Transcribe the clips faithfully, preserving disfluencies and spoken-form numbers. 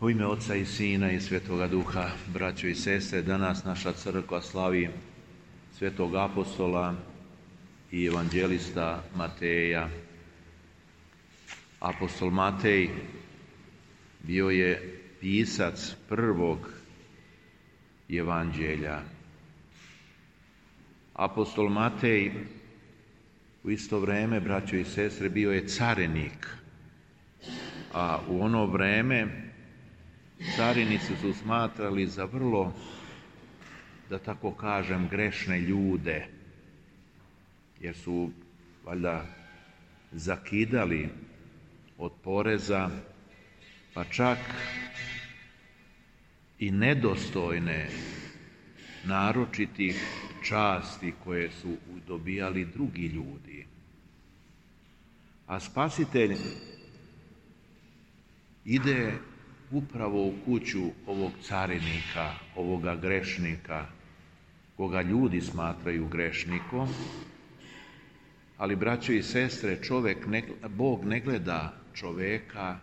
U ime Oca i Sina i Svetoga Duha, braćo i sestre, danas naša crkva slavi svetog apostola i evanđelista Mateja. Apostol Matej bio je pisac prvog evanđelja. Apostol Matej u isto vrijeme, braćo i sestre, bio je carinik, a u ono vrijeme carinici su smatrali za vrlo, da tako kažem, grešne ljude, jer su valjda zakidali od poreza, pa čak i nedostojne naročitih časti koje su dobijali drugi ljudi. A Spasitelj ide upravo u kuću ovog carinika, ovoga grešnika, koga ljudi smatraju grešnikom, ali, braćo i sestre, čovjek ne, Bog ne gleda čovjeka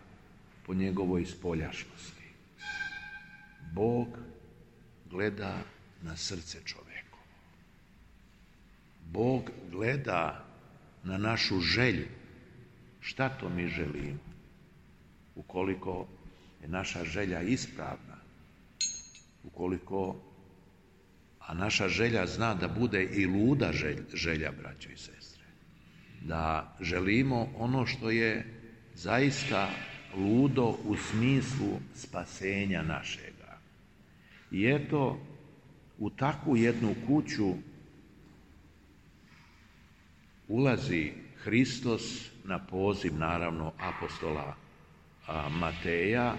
po njegovoj spoljašnosti. Bog gleda na srce čovjekovo. Bog gleda na našu želju. Šta to mi želimo? Ukoliko je naša želja ispravna, ukoliko, a naša želja zna da bude i luda želja, želja, braćo i sestre, da želimo ono što je zaista ludo u smislu spasenja našega. I eto, u takvu jednu kuću ulazi Hristos na poziv, naravno, apostola Mateja,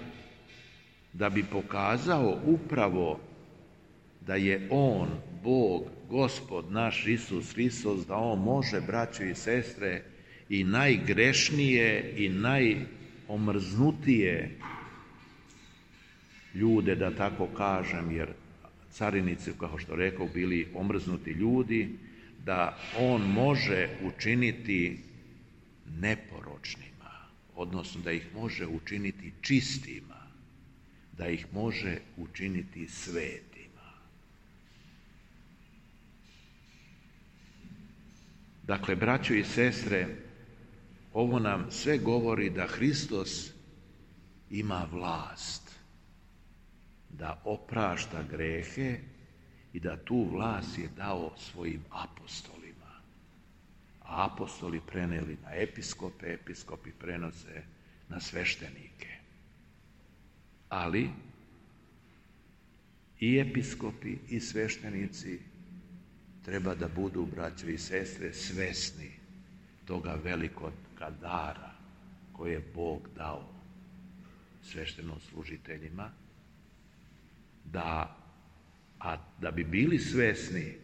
da bi pokazao upravo da je On, Bog, Gospod naš Isus Hristos, da On može, braćo i sestre, i najgrešnije i najomrznutije ljude, da tako kažem, jer carinici, kao što rekao, bili omrznuti ljudi, da On može učiniti neporočnima, odnosno da ih može učiniti čistima, da ih može učiniti svetima. Dakle, braćo i sestre, ovo nam sve govori da Hristos ima vlast da oprašta grehe i da tu vlast je dao svojim apostolima. A apostoli preneli na episkope, episkopi prenose na sveštenike. Ali i episkopi i sveštenici treba da budu, braćo i sestre, svesni toga velikoga dara koje je Bog dao sveštenoslужiteljima, da, a da bi bili svesni,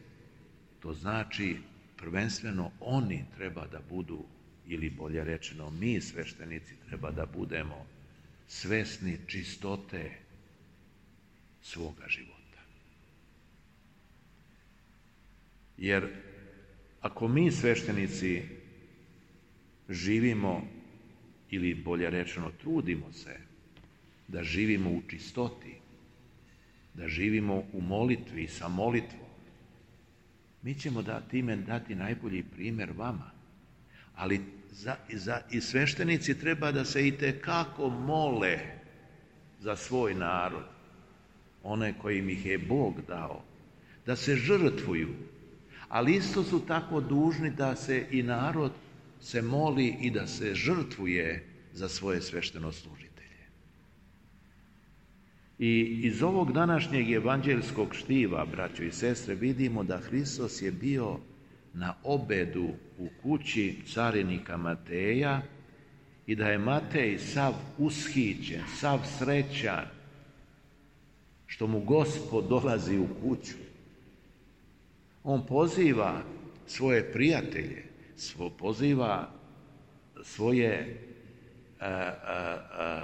to znači prvenstveno oni treba da budu, ili bolje rečeno mi sveštenici treba da budemo svesni čistote svoga života. Jer ako mi sveštenici živimo, ili bolje rečeno trudimo se da živimo u čistoti, da živimo u molitvi, sa molitvom, mi ćemo da time dati najbolji primjer vama. Ali za, za, i sveštenici treba da se itekako mole za svoj narod, one kojim ih je Bog dao, da se žrtvuju, ali isto su tako dužni da se i narod se moli i da se žrtvuje za svoje sveštenoslужitelje. I iz ovog današnjeg evanđelskog štiva, braćo i sestre, vidimo da Hristos je bio na obedu u kući carinika Mateja i da je Matej sav ushićen, sav srećan što mu Gospod dolazi u kuću. On poziva svoje prijatelje, svo, poziva svoje a, a, a,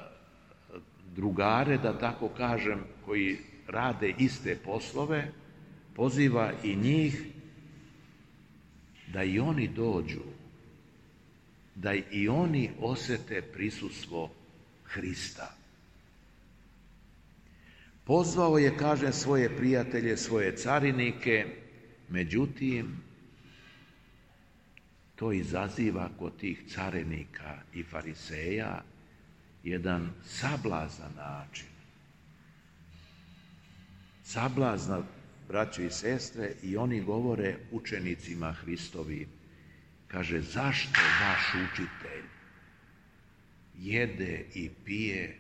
drugare, da tako kažem, koji rade iste poslove, poziva i njih da i oni dođu, da i oni osete prisustvo Hrista. Pozvao je, kaže, svoje prijatelje, svoje carinike, međutim, to izaziva kod tih carinika i fariseja jedan sablazan način. Sablazan, braćo i sestre, i oni govore učenicima Hristovi, kaže, zašto vaš učitelj jede i pije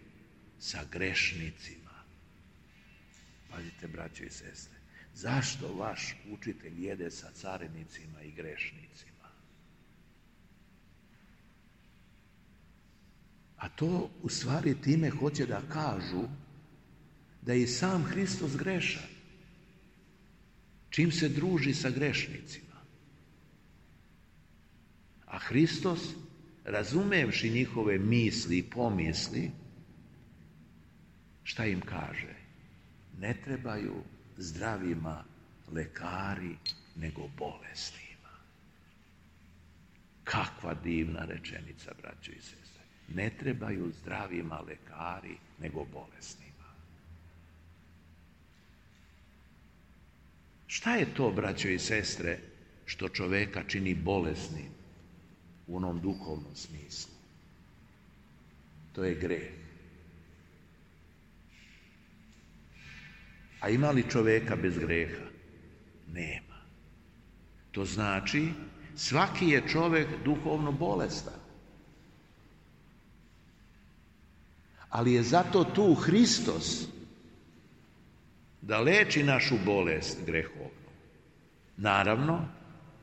sa grešnicima? Pazite, braćo i sestre, zašto vaš učitelj jede sa carinicima i grešnicima? A to u stvari time hoće da kažu da je i sam Hristos grešan. Čim se druži sa grešnicima. A Hristos, razumevši njihove misli i pomisli, šta im kaže? Ne trebaju zdravima lekari, nego bolesnima. Kakva divna rečenica, braćo i sestre. Ne trebaju zdravima lekari, nego bolesnima. Šta je to, braćo i sestre, što čoveka čini bolesnim u onom duhovnom smislu? To je greh. A ima li čoveka bez greha? Nema. To znači, svaki je čovek duhovno bolestan. Ali je zato tu Hristos da leči našu bolest grehovnu. Naravno,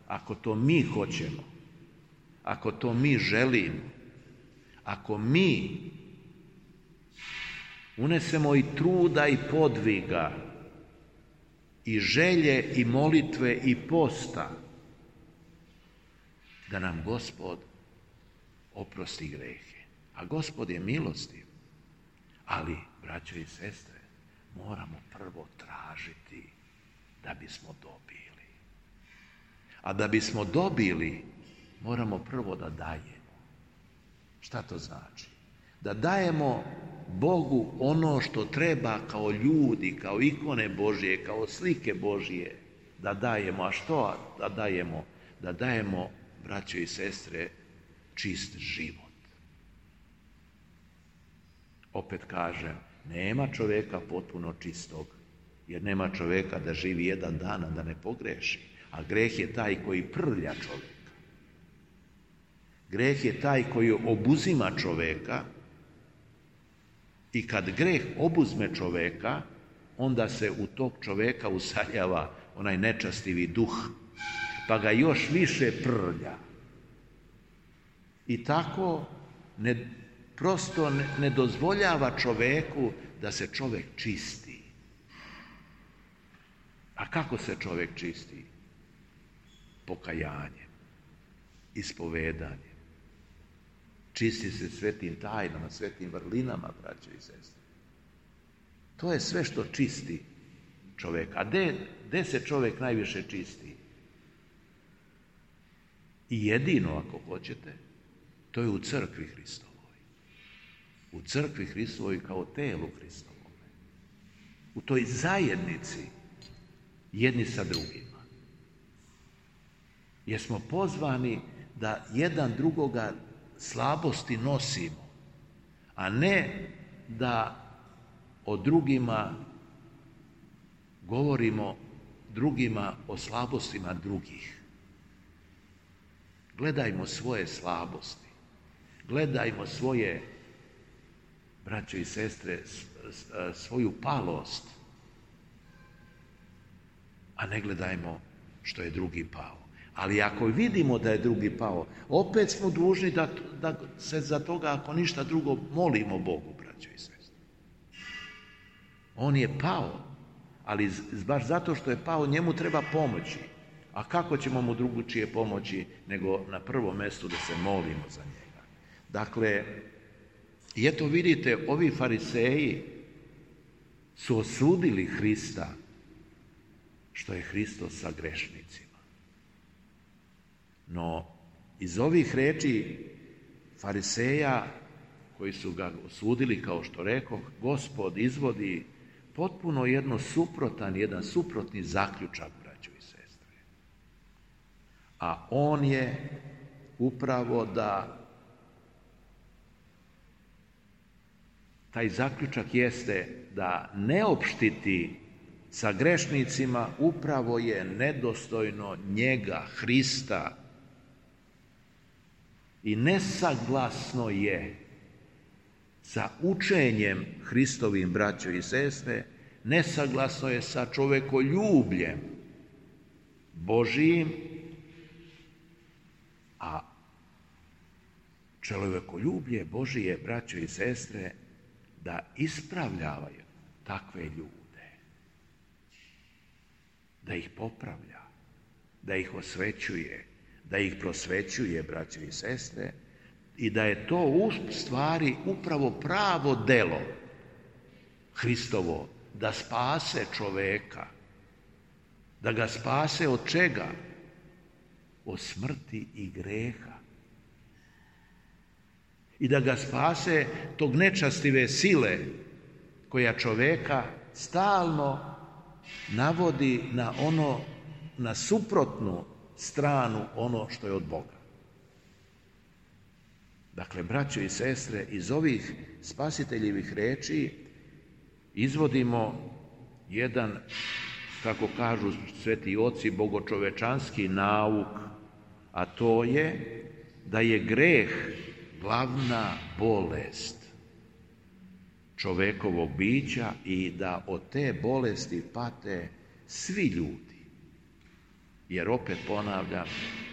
ako to mi hoćemo, ako to mi želimo, ako mi unesemo i truda i podviga, i želje i molitve i posta, da nam Gospod oprosti grehe. A Gospod je milostiv. Ali, braćo i sestre, moramo prvo tražiti da bismo dobili. A da bismo dobili, moramo prvo da dajemo. Šta to znači? Da dajemo Bogu ono što treba kao ljudi, kao ikone Božje, kao slike Božje, da dajemo. A što da dajemo? Da dajemo, braćo i sestre, čist život. Opet kažem, nema čoveka potpuno čistog, jer nema čoveka da živi jedan dan, a da ne pogreši. A greh je taj koji prlja čoveka. Greh je taj koji obuzima čoveka i kad greh obuzme čoveka, onda se u tog čoveka usaljava onaj nečastivi duh, pa ga još više prlja. I tako ne prosto ne dozvoljava čoveku da se čovek čisti. A kako se čovek čisti? Pokajanjem, ispovedanjem. Čisti se svetim tajnama, svetim vrlinama, braćo i sestre. To je sve što čisti čoveka. A gde, gde se čovek najviše čisti? I jedino, ako hoćete, to je u crkvi Hristovoj. U crkvi Hristovoj kao telu Hristovom. U toj zajednici jedni sa drugima. Jer smo pozvani da jedan drugoga slabosti nosimo, a ne da o drugima govorimo drugima o slabostima drugih. Gledajmo svoje slabosti. Gledajmo svoje, braćo i sestre, svoju palost, a ne gledajmo što je drugi pao. Ali ako vidimo da je drugi pao, opet smo dužni da, da se za toga, ako ništa drugo, molimo Bogu, braćo i sestre. On je pao, ali baš zato što je pao, njemu treba pomoći. A kako ćemo mu drugačije pomoći nego na prvom mjestu da se molimo za njega? Dakle, i eto vidite, ovi fariseji su osudili Hrista što je Hristos sa grešnicima. No, iz ovih reči fariseja koji su ga osudili, kao što rekoh, Gospod izvodi potpuno jedno suprotan, jedan suprotni zaključak, braćo i sestre. A on je upravo da taj zaključak jeste da ne opštiti sa grešnicima upravo je nedostojno njega, Hrista, i nesaglasno je sa učenjem Hristovim, braćo i sestre, nesaglasno je sa čovekoljubljem Božijim, a čovekoljublje Božije, braćo i sestre, da ispravljavaju takve ljude, da ih popravlja, da ih osvećuje, da ih prosvećuje, braćo i sestre, i da je to u stvari upravo pravo delo Hristovo, da spase čoveka, da ga spase od čega? Od smrti i greha. I da ga spase tog nečastive sile koja čoveka stalno navodi na ono, na suprotnu stranu ono što je od Boga. Dakle, braćo i sestre, iz ovih spasiteljevih reči izvodimo jedan, kako kažu sveti oci, bogočovečanski nauk, a to je da je greh glavna bolest čovekovog bića i da od te bolesti pate svi ljudi. Jer opet ponavljam,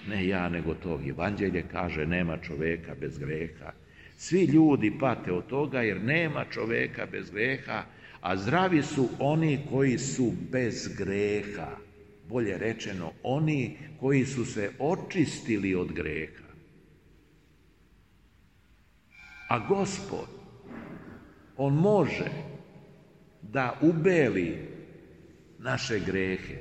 ne ja nego to evanđelje kaže, nema čoveka bez greha. Svi ljudi pate od toga jer nema čoveka bez greha, a zdravi su oni koji su bez greha. Bolje rečeno, oni koji su se očistili od greha. A Gospod, on može da ubeli naše grehe,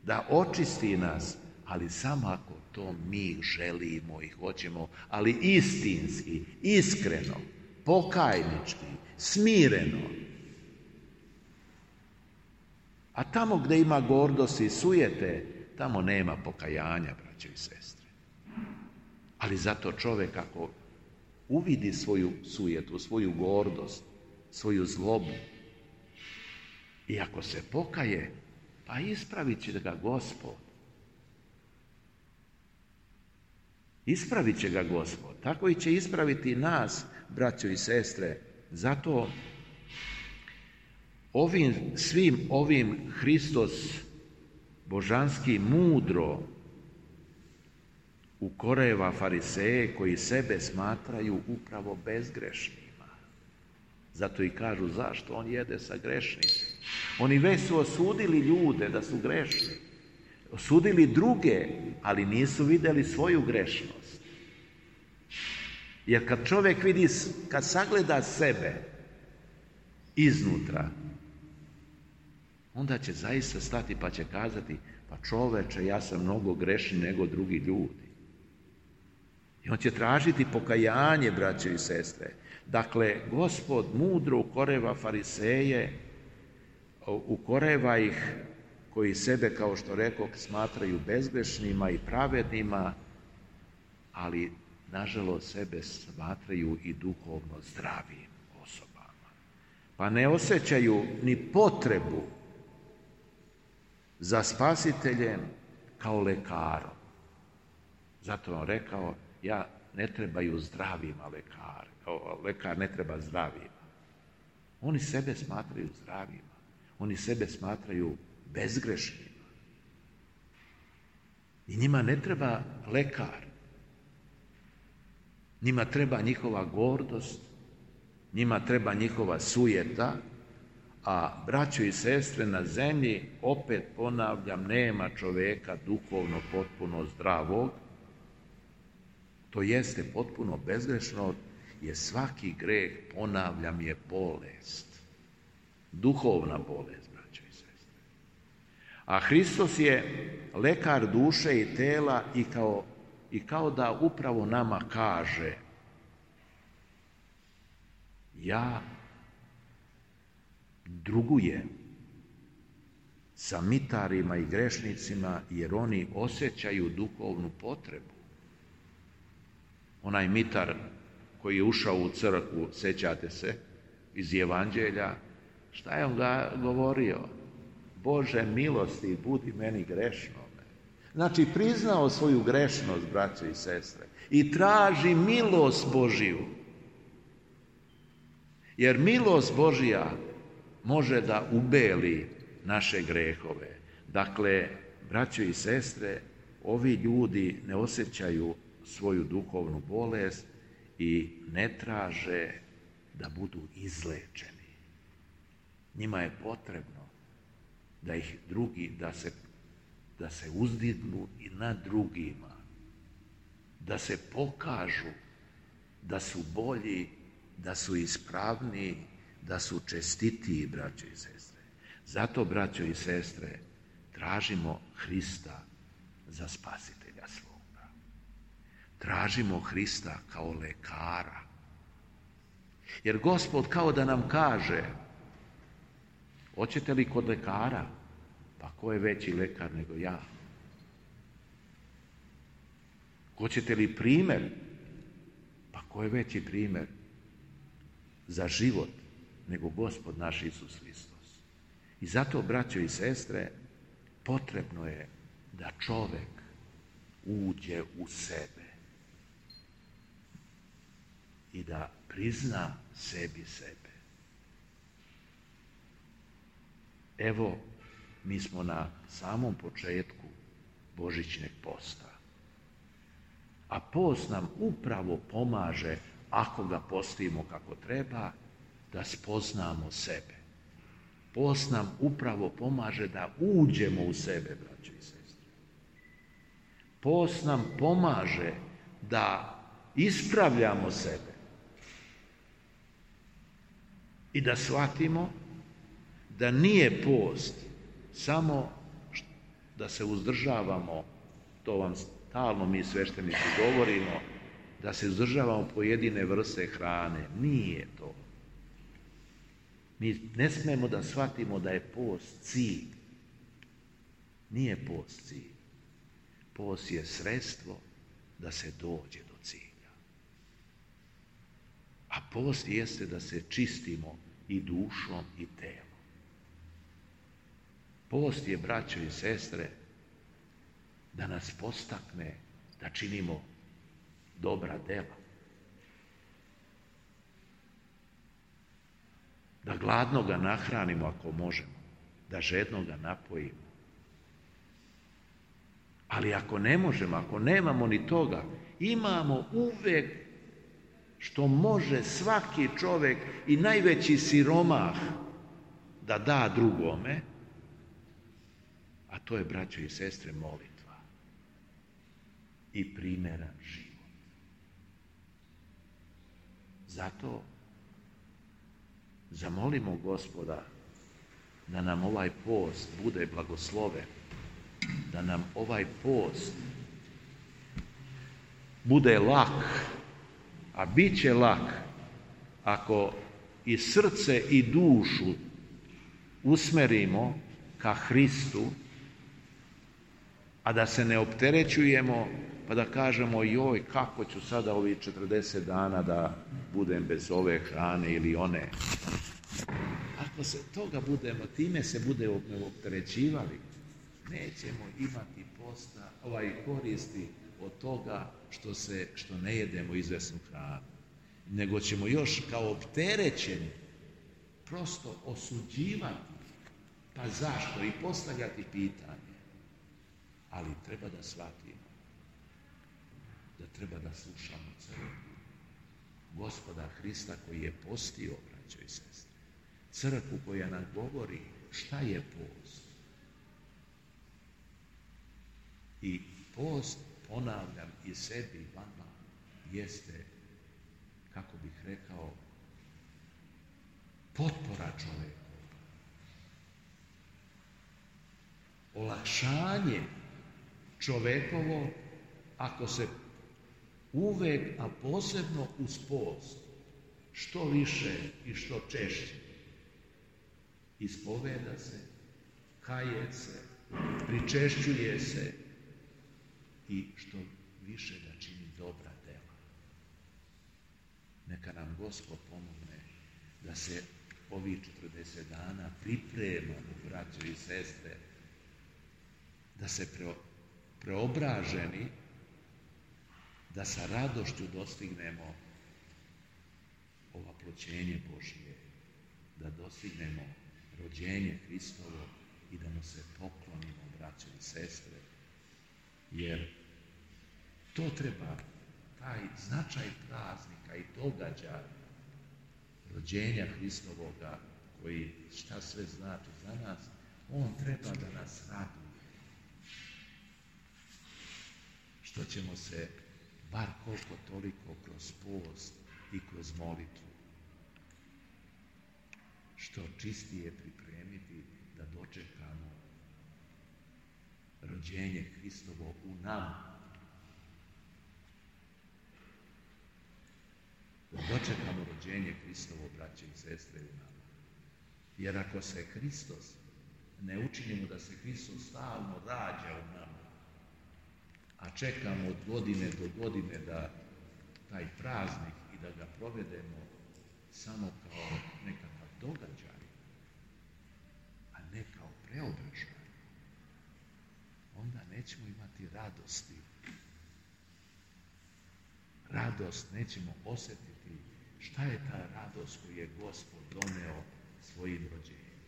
da očisti nas, ali samo ako to mi želimo i hoćemo, ali istinski, iskreno, pokajnički, smireno. A tamo gdje ima gordosti i sujete, tamo nema pokajanja, braćo i sestre. Ali zato čovjek ako uvidi svoju sujetu, svoju gordost, svoju zlobu, i ako se pokaje, pa ispravit će ga Gospod. Ispravit će ga Gospod. Tako i će ispraviti nas, braćo i sestre. Zato ovim, svim ovim Hristos božanski mudro ukoreva fariseje koji sebe smatraju upravo bezgrešnima. Zato i kažu zašto on jede sa grešnicima. Oni već su osudili ljude da su grešni. Osudili druge, ali nisu vidjeli svoju grešnost. Jer kad čovjek vidi, kad sagleda sebe iznutra, onda će zaista stati pa će kazati, pa čoveče, ja sam mnogo grešniji nego drugi ljudi. I on će tražiti pokajanje, braćo i sestre. Dakle, Gospod mudro ukoreva fariseje, ukoreva ih koji sebe, kao što rekoh, smatraju bezgrešnima i pravednima, ali nažalost sebe smatraju i duhovno zdravim osobama. Pa ne osjećaju ni potrebu za spasiteljem kao lekarom. Zato on rekao, ja ne trebaju zdravima lekar, lekar ne treba zdravima. Oni sebe smatraju zdravima. Oni sebe smatraju bezgrešnima. I njima ne treba lekar. Njima treba njihova gordost, njima treba njihova sujeta, a braćo i sestre, na zemlji, opet ponavljam, nema čoveka duhovno potpuno zdravog, to jeste potpuno bezgrešno, jer svaki greh, ponavljam, je bolest. Duhovna bolest, braćo i sestre. A Hristos je lekar duše i tela i kao, i kao da upravo nama kaže, druguje sa mitarima i grešnicima, jer oni osjećaju duhovnu potrebu. Onaj mitar koji je ušao u crkvu, sjećate se, iz Evanđelja, šta je on ga govorio? Bože milosti, budi meni grešnome. Znači, priznao svoju grešnost, braćo i sestre, i traži milost Božiju. Jer milost Božja može da ubeli naše grehove. Dakle, braćo i sestre, ovi ljudi ne osjećaju svoju duhovnu bolest i ne traže da budu izlečeni. Njima je potrebno da ih drugi, da se, da se uzdignu i nad drugima, da se pokažu da su bolji, da su ispravniji, da su čestitiji, braćo i sestre. Zato, braćo i sestre, tražimo Hrista za spasitelja svoga. Tražimo Hrista kao lekara. Jer Gospod kao da nam kaže, hoćete li kod lekara? Pa ko je veći lekar nego ja? Hoćete li primjer? Pa ko je veći primjer za život nego Gospod naš Isus Hristos? I zato, braćo i sestre, potrebno je da čovjek uđe u sebe i da prizna sebi sebe. Evo, mi smo na samom početku Božićnog posta. A post nam upravo pomaže, ako ga postimo kako treba, da spoznamo sebe. Post nam upravo pomaže da uđemo u sebe, braćo i sestre. Post nam pomaže da ispravljamo sebe i da shvatimo da nije post samo da se uzdržavamo, to vam stalno mi sveštenici govorimo, da se uzdržavamo pojedine vrste hrane. Nije to. Mi ne smemo da shvatimo da je post cilj. Nije post cilj. Post je sredstvo da se dođe do cilja. A post jeste da se čistimo i dušom i telom. Post je, braćo i sestre, da nas postakne da činimo dobra dela. Da gladnoga nahranimo ako možemo, da žednoga napojimo. Ali ako ne možemo, ako nemamo ni toga, imamo uvek što može svaki čovjek i najveći siromah da da drugome, a to je, braćo i sestre, molitva i primeran život. Zato zamolimo Gospoda da nam ovaj post bude blagosloven, da nam ovaj post bude lak, a bit će lak ako i srce i dušu usmerimo ka Hristu, a da se ne opterećujemo pa da kažemo joj kako ću sada ovih četrdeset dana da budem bez ove hrane ili one. Ako se toga budemo, time se budemo opterećivali, nećemo imati posta, ovaj koristi od toga što, se, što ne jedemo izvesnu hranu. Nego ćemo još kao opterećeni prosto osuđivati, pa zašto, i postavljati pitanje. Ali treba da shvatimo da treba da slušamo crkvu Gospoda Hrista koji je postio, braćo i sestre. Crkvu koja nam govori šta je post. I post, ponavljam i sebi i vama, jeste, kako bih rekao, potpora čoveku. Olakšanje čovekovo ako se uvek, a posebno uz post, što više i što češće ispoveda se, kaje se, pričešćuje se i što više da čini dobra dela. Neka nam Gospod pomogne da se ovih četrdeset dana pripremamo, braćo i sestre, da se pre, preobraženi, da sa radošću dostignemo ovaploćenje Božije, da dostignemo rođenje Hristovo i da mu se poklonimo, braćo i sestre, jer to treba, taj značaj praznika i događaja rođenja Hristovoga, koji šta sve znači za nas, on treba da nas raduje. Što ćemo se bar koliko toliko kroz post i kroz molitvu što čistije pripremiti da dočekamo rođenje Hristovo u nama. Da dočekamo rođenje Hristovo, braće i sestre, u nama. Jer ako se Hristos, ne učinimo da se Hristos stalno rađa u nama, a čekamo od godine do godine da taj praznik i da ga provedemo samo kao nekakav događaj, a ne kao preobražaj, onda nećemo imati radosti. Radost nećemo osjetiti. Šta je ta radost koju je Gospod doneo svojim rođenjem?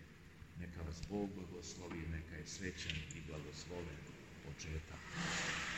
Neka vas Bog blagoslovi, neka je srećan i blagosloven početak